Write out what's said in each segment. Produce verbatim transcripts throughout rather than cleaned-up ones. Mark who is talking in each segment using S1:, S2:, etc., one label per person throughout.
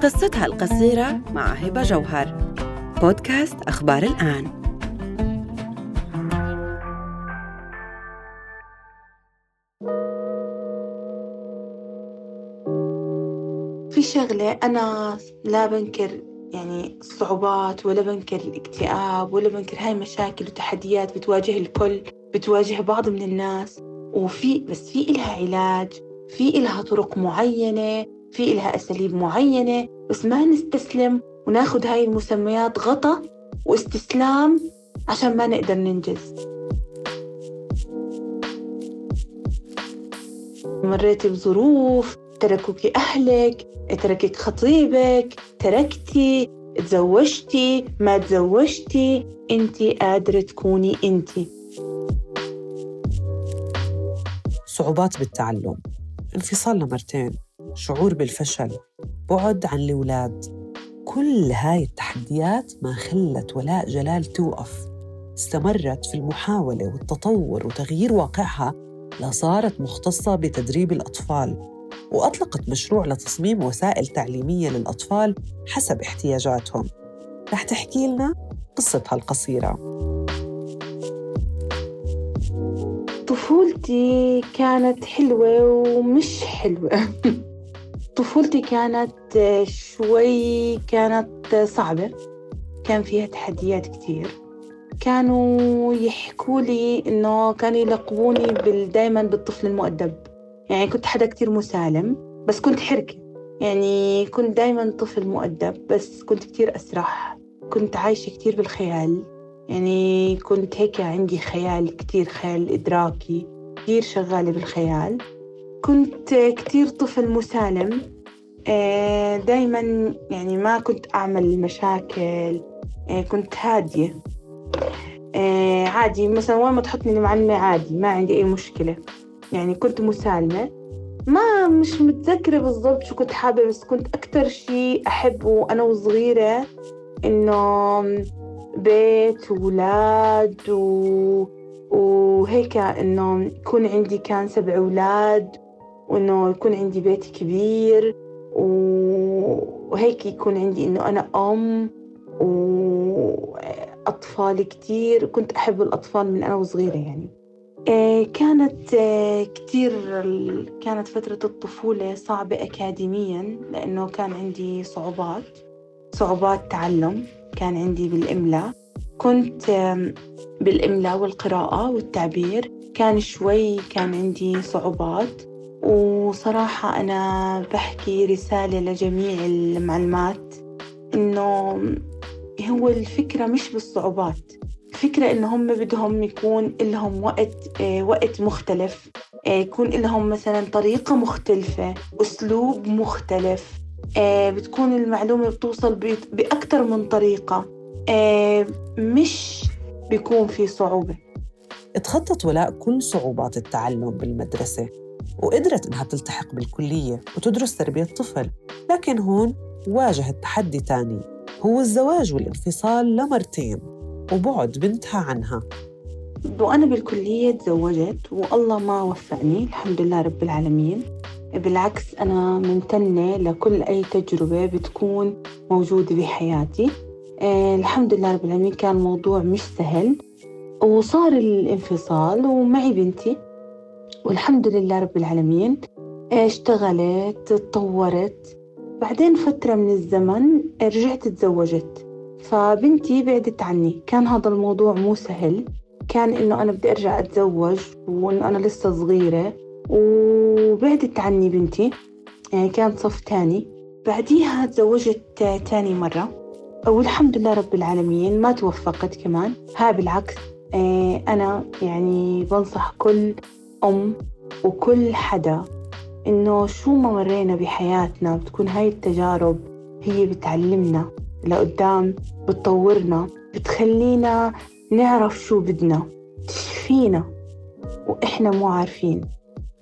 S1: قصتها القصيرة مع هبة جوهر. بودكاست أخبار الآن.
S2: في شغلة أنا لا بنكر يعني الصعوبات ولا بنكر الاكتئاب ولا بنكر هاي مشاكل وتحديات بتواجه الكل، بتواجه بعض من الناس، وفي بس في إلها علاج، في إلها طرق معينة، في إلها أساليب معينة، بس ما نستسلم وناخد هاي المسميات غطا واستسلام عشان ما نقدر ننجز. مريت بظروف، تركوك أهلك، تركك خطيبك، تركتي، تزوجتي، ما تزوجتي، انتي قادرة تكوني انتي.
S3: صعوبات بالتعلم، انفصال لمرتين، شعور بالفشل، بعد عن الأولاد، كل هاي التحديات ما خلت ولاء جلال توقف. استمرت في المحاولة والتطور وتغيير واقعها لصارت مختصة بتدريب الأطفال، وأطلقت مشروع لتصميم وسائل تعليمية للأطفال حسب احتياجاتهم. رح تحكي لنا قصتها القصيرة.
S2: طفولتي كانت حلوة ومش حلوة. طفولتي كانت شوي كانت صعبة، كان فيها تحديات كتير. كانوا يحكوا لي إنه كانوا يلقبوني بال دايماً بالطفل المؤدب، يعني كنت حدا كتير مسالم بس كنت حركة، يعني كنت دايماً طفل مؤدب بس كنت كتير أسرح، كنت عايشة كتير بالخيال، يعني كنت هيك عندي خيال كتير، خيال إدراكي كتير شغالة بالخيال. كنت كتير طفل مسالم، دايماً يعني ما كنت أعمل مشاكل، كنت هادية عادي، مثلاً وين ما تحطني المعلمة عادي ما عندي أي مشكلة، يعني كنت مسالمة. ما مش متذكرة بالضبط شو كنت حابة، بس كنت أكتر شيء أحبه أنا وصغيرة إنه بيت وولاد و... وهيك، إنه يكون عندي كان سبع أولاد، وإنه يكون عندي بيت كبير وهيك يكون عندي إنه أنا أم وأطفال كتير. كنت أحب الأطفال من أنا وصغيرة يعني. كانت كتير كانت فترة الطفولة صعبة أكاديمياً، لأنه كان عندي صعوبات صعوبات تعلم. كان عندي بالإملاء، كنت بالإملاء والقراءة والتعبير كان شوي كان عندي صعوبات. وصراحة أنا بحكي رسالة لجميع المعلمات إنه هو الفكرة مش بالصعوبات، الفكرة إن هم بدهم يكون لهم وقت آه وقت مختلف، آه يكون لهم مثلا طريقة مختلفة، أسلوب مختلف، آه بتكون المعلومة بتوصل بأكتر من طريقة، آه مش بيكون في صعوبة.
S3: اتخطت ولاء كل صعوبات التعلم بالمدرسة وقدرت إنها تلتحق بالكلية وتدرس تربية طفل، لكن هون واجهت تحدي تاني، هو الزواج والانفصال لمرتين وبعد بنتها عنها.
S2: وأنا بالكلية تزوجت والله ما وفقني، الحمد لله رب العالمين. بالعكس أنا ممتنة لكل أي تجربة بتكون موجودة بحياتي. آه الحمد لله رب العالمين. كان موضوع مش سهل وصار الانفصال ومعي بنتي والحمد لله رب العالمين. آه اشتغلت، تطورت، بعدين فترة من الزمن رجعت تزوجت، فبنتي بعدت عني. كان هذا الموضوع مو سهل، كان إنه أنا بدي أرجع أتزوج وإنه أنا لسه صغيرة، وبعدت عني بنتي، يعني كانت صف تاني. بعديها تزوجت تاني مرة والحمد لله رب العالمين ما توفقت كمان. ها بالعكس، أنا يعني بنصح كل أم وكل حدا إنه شو ما مرينا بحياتنا بتكون هاي التجارب هي بتعلمنا لقدام، بتطورنا، بتخلينا نعرف شو بدنا، تشفينا وإحنا مو عارفين،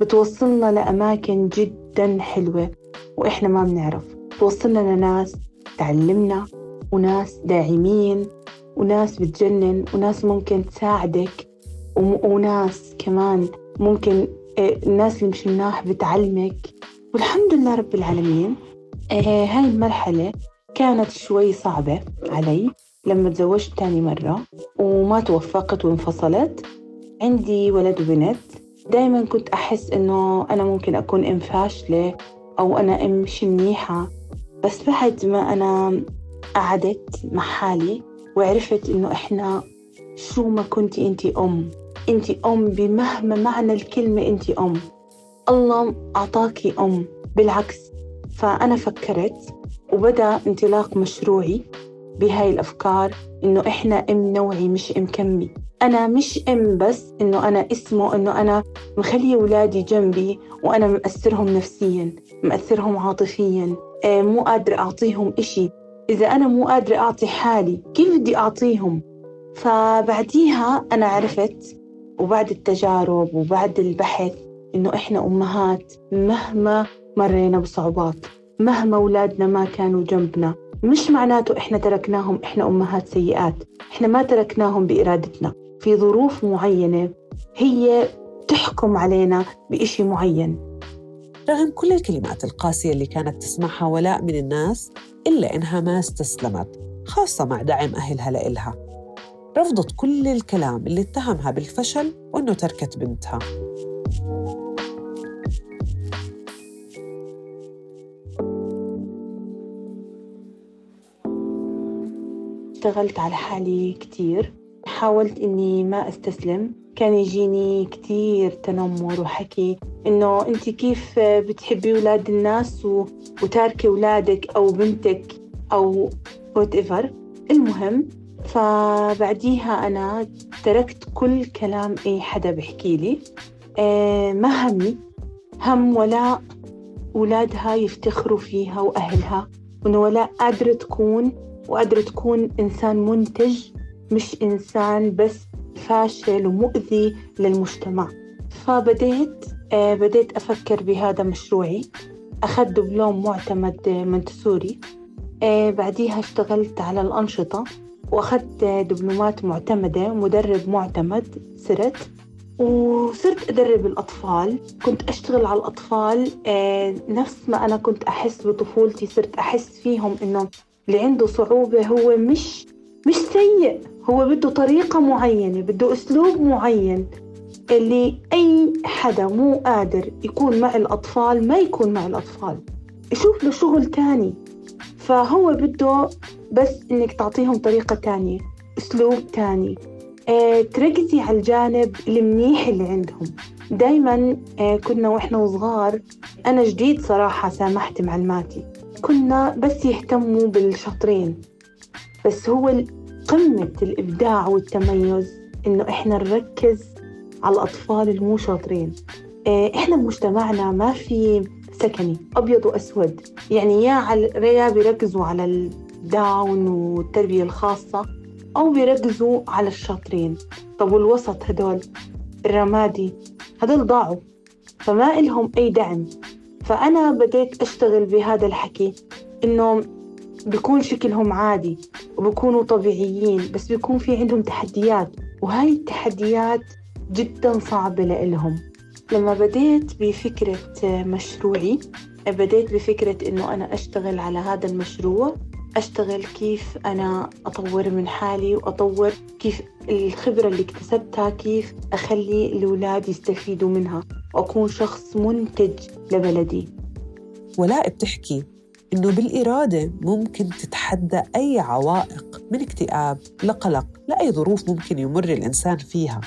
S2: بتوصلنا لأماكن جداً حلوة وإحنا ما بنعرف، بتوصلنا لناس تعلمنا وناس داعمين وناس بتجنن وناس ممكن تساعدك، وناس كمان ممكن الناس اللي مش مناح بتعلمك. والحمد لله رب العالمين آه هاي المرحلة كانت شوي صعبة علي لما تزوجت تاني مرة وما توفقت وانفصلت. عندي ولد وبنت. دايماً كنت أحس إنه أنا ممكن أكون أم فاشلة أو أنا أم مش منيحة، بس بعد ما أنا قعدت مع حالي وعرفت إنه إحنا شو ما كنتي أنتي أم، أنتي أم بمهما معنى الكلمة، أنتي أم، الله أعطاكي أم بالعكس. فأنا فكرت وبدأ انطلاق مشروعي بهاي الأفكار، إنه إحنا أم نوعي مش أم كمي. أنا مش أم بس إنه أنا اسمه إنه أنا مخلي أولادي جنبي وأنا مأثرهم نفسياً، مأثرهم عاطفياً، آه مو قادرة أعطيهم إشي. إذا أنا مو قادرة أعطي حالي كيف بدي أعطيهم؟ فبعديها أنا عرفت وبعد التجارب وبعد البحث إنه إحنا أمهات مهما مرينا بصعوبات، مهما أولادنا ما كانوا جنبنا، مش معناته إحنا تركناهم إحنا أمهات سيئات. إحنا ما تركناهم بإرادتنا، في ظروف معينة هي تحكم علينا بإشي معين.
S3: رغم كل الكلمات القاسية اللي كانت تسمعها ولاء من الناس، إلا إنها ما استسلمت، خاصة مع دعم أهلها لإلها. رفضت كل الكلام اللي اتهمها بالفشل وإنه تركت بنتها.
S2: اشتغلت على حالي كتير، حاولت إني ما أستسلم. كان يجيني كتير تنمر وحكي إنه أنت كيف بتحبي أولاد الناس وتاركي أولادك أو بنتك أو whatever. المهم فبعديها أنا تركت كل كلام أي حدا بحكي لي. أه ما همي هم ولا أولادها يفتخروا فيها وأهلها، وإنه ولا قادرة تكون وقادرة تكون إنسان منتج، مش إنسان بس فاشل ومؤذي للمجتمع. فبديت آه بديت أفكر بهذا مشروعي. أخذت دبلوم معتمد منتسوري. آه بعديها اشتغلت على الأنشطة وأخذت دبلومات معتمدة، مدرب معتمد صرت، وصرت أدرب الأطفال. كنت أشتغل على الأطفال آه نفس ما أنا كنت أحس بطفولتي. صرت أحس فيهم إنه اللي عنده صعوبة هو مش مش سيء، هو بده طريقة معينة، بده أسلوب معين، اللي أي حدا مو قادر يكون مع الأطفال ما يكون مع الأطفال، يشوف له شغل تاني. فهو بده بس إنك تعطيهم طريقة تانية، أسلوب تاني، اه تركزي على الجانب المنيح اللي عندهم. دايماً اه كنا وإحنا وصغار، أنا جديد صراحة سامحت معلماتي، كنا بس يهتموا بالشاطرين، بس هو قمة الإبداع والتميز إنه إحنا نركز على الأطفال المو شاطرين. إحنا بمجتمعنا ما في سكني أبيض وأسود، يعني يا على يا بيركزوا على الداون والتربية الخاصة أو بيركزوا على الشاطرين. طب والوسط هدول الرمادي هدول ضاعوا، فما إلهم أي دعم. فأنا بديت أشتغل بهذا الحكي إنه بيكون شكلهم عادي وبيكونوا طبيعيين، بس بيكون في عندهم تحديات، وهاي التحديات جداً صعبة لإلهم. لما بديت بفكرة مشروعي، بديت بفكرة إنه أنا أشتغل على هذا المشروع، أشتغل كيف أنا أطور من حالي وأطور كيف الخبرة اللي اكتسبتها كيف أخلي الأولاد يستفيدوا منها وأكون شخص منتج لبلدي.
S3: ولاء بتحكي إنه بالإرادة ممكن تتحدى أي عوائق، من اكتئاب لقلق لأي ظروف ممكن يمر الإنسان فيها،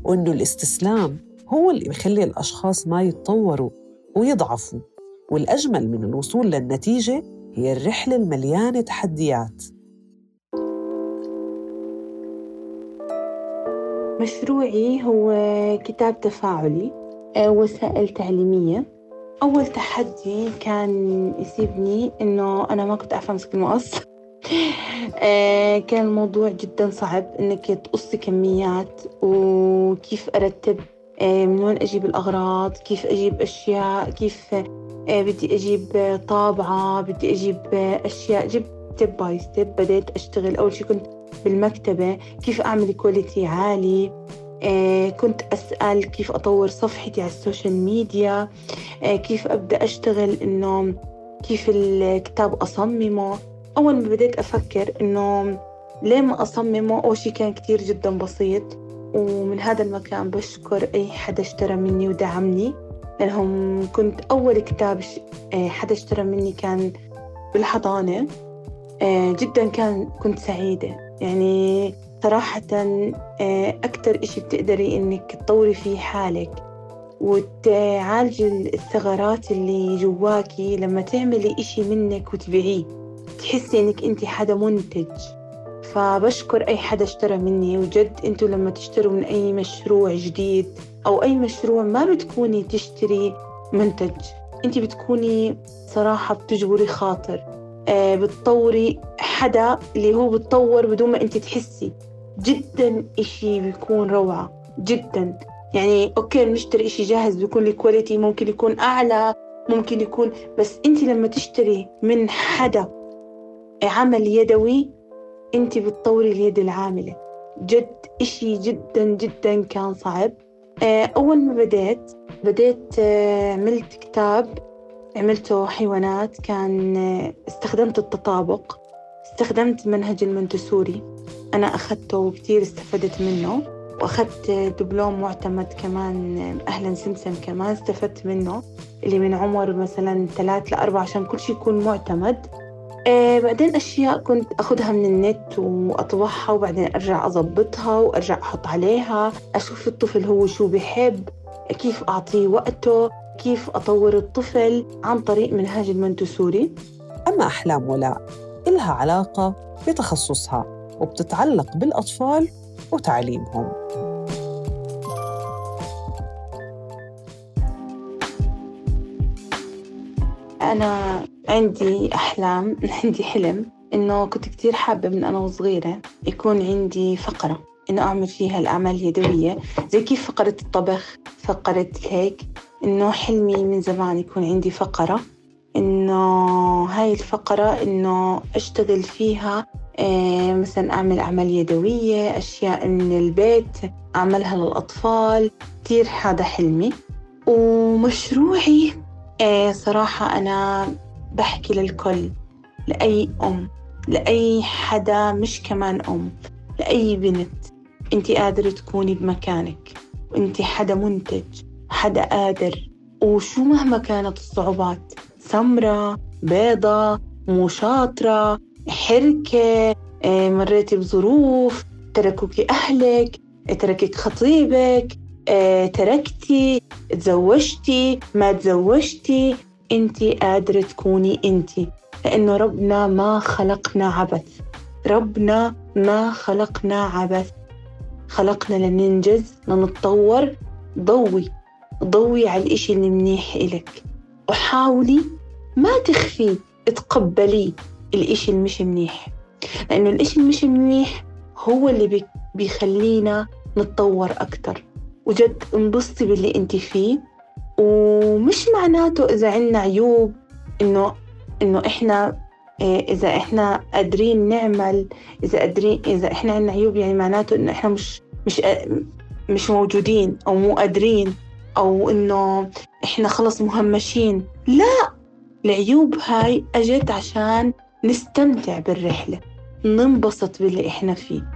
S3: وإنه الاستسلام هو اللي بيخلي الأشخاص ما يتطوروا ويضعفوا، والأجمل من الوصول للنتيجة هي الرحلة المليانة تحديات.
S2: مشروعي هو كتاب تفاعلي، وسائل تعليمية. أول تحدي كان يسيبني إنه أنا ما كنت أعرف أمسك المقص. كان الموضوع جدا صعب إنك تقصي كميات، وكيف أرتب من وين أجيب الأغراض، كيف أجيب أشياء، كيف بدي أجيب طابعة، بدي أجيب أشياء. جبت ستيب باي ستيب. بديت أشتغل. أول شيء كنت بالمكتبة كيف أعمل كواليتي عالي. آه كنت أسأل كيف أطور صفحتي على السوشيال ميديا. آه كيف أبدأ أشتغل إنه كيف الكتاب أصممه. أول ما بديت أفكر إنه ليه ما أصممه، أول شي كان كتير جدا بسيط. ومن هذا المكان بشكر أي حدا اشترى مني ودعمني، لأنهم كنت أول كتاب حدا اشترى مني كان بالحضانة. جدا كان كنت سعيدة، يعني صراحة أكتر إشي بتقدري إنك تطوري فيه حالك وتعالجي الثغرات اللي جواكي لما تعملي إشي منك وتبيعيه، تحسي إنك أنت حدا منتج. فبشكر أي حدا اشترى مني، وجد أنتوا لما تشتروا من أي مشروع جديد أو أي مشروع ما بتكوني تشتري منتج، أنت بتكوني صراحة بتجبري خاطر، آه بتطوري حدا اللي هو بتطور بدون ما أنت تحسي. جدا إشي بيكون روعة جدا. يعني أوكي نشتري إشي جاهز بيكون الكواليتي ممكن يكون أعلى، ممكن يكون، بس أنت لما تشتري من حدا عمل يدوي أنت بتطوري اليد العاملة. جد إشي جدا جدا كان صعب. أول ما بديت بديت عملت كتاب، عملته حيوانات، كان استخدمت التطابق، استخدمت منهج المنتسوري. أنا أخذته وكتير استفدت منه، وأخذت دبلوم معتمد كمان أهلا سمسم كمان استفدت منه، اللي من عمر مثلا ثلاث لأربع عشان كل شيء يكون معتمد. آه بعدين أشياء كنت أخذها من النت وأطبعها، وبعدين أرجع أضبطها وأرجع أحط عليها، أشوف الطفل هو شو بيحب، كيف أعطيه وقته، كيف أطور الطفل عن طريق منهاج المنتسوري.
S3: أما أحلام ولاء إلها علاقة بتخصصها وبتتعلق بالأطفال وتعليمهم.
S2: أنا عندي أحلام، عندي حلم إنه كنت كتير حابة من أنا وصغيرة يكون عندي فقرة إنه أعمل فيها الأعمال اليدوية، زي كيف فقرة الطبخ، فقرة هيك. إنه حلمي من زمان يكون عندي فقرة، إنه هاي الفقرة إنه أشتغل فيها، إيه مثلا أعمل أعمال يدوية، أشياء من البيت أعملها للأطفال. كتير هذا حلمي. ومشروعي إيه صراحة أنا بحكي للكل، لأي أم، لأي حدا مش كمان أم، لأي بنت، أنتي قادرة تكوني بمكانك، وأنتي حدا منتج، حدا قادر. وشو مهما كانت الصعوبات، سمرة، بيضة، مو شاطرة، حركة، مريتي بظروف، تركوكي أهلك، تركك خطيبك، تركتي، تزوجتي، ما تزوجتي، أنتي قادرة تكوني أنتي، لأنه ربنا ما خلقنا عبث. ربنا ما خلقنا عبث، خلقنا لننجز، لنتطور. ضوي ضوي على الإشي اللي منيح إلك، وحاولي ما تخفي، تقبلي الإشي المش منيح، لأنه الإشي المش منيح هو اللي بيخلينا نتطور أكتر. وجد انبسطي باللي انت فيه، ومش معناته إذا عنا عيوب إنه إنه إحنا إذا إحنا قادرين نعمل، إذا قادرين إذا إحنا عنا عيوب يعني معناته إنه إحنا مش مش مش موجودين أو مو قادرين، أو إنه إحنا خلص مهمشين. لا، العيوب هاي أجت عشان نستمتع بالرحلة، ننبسط باللي إحنا فيه.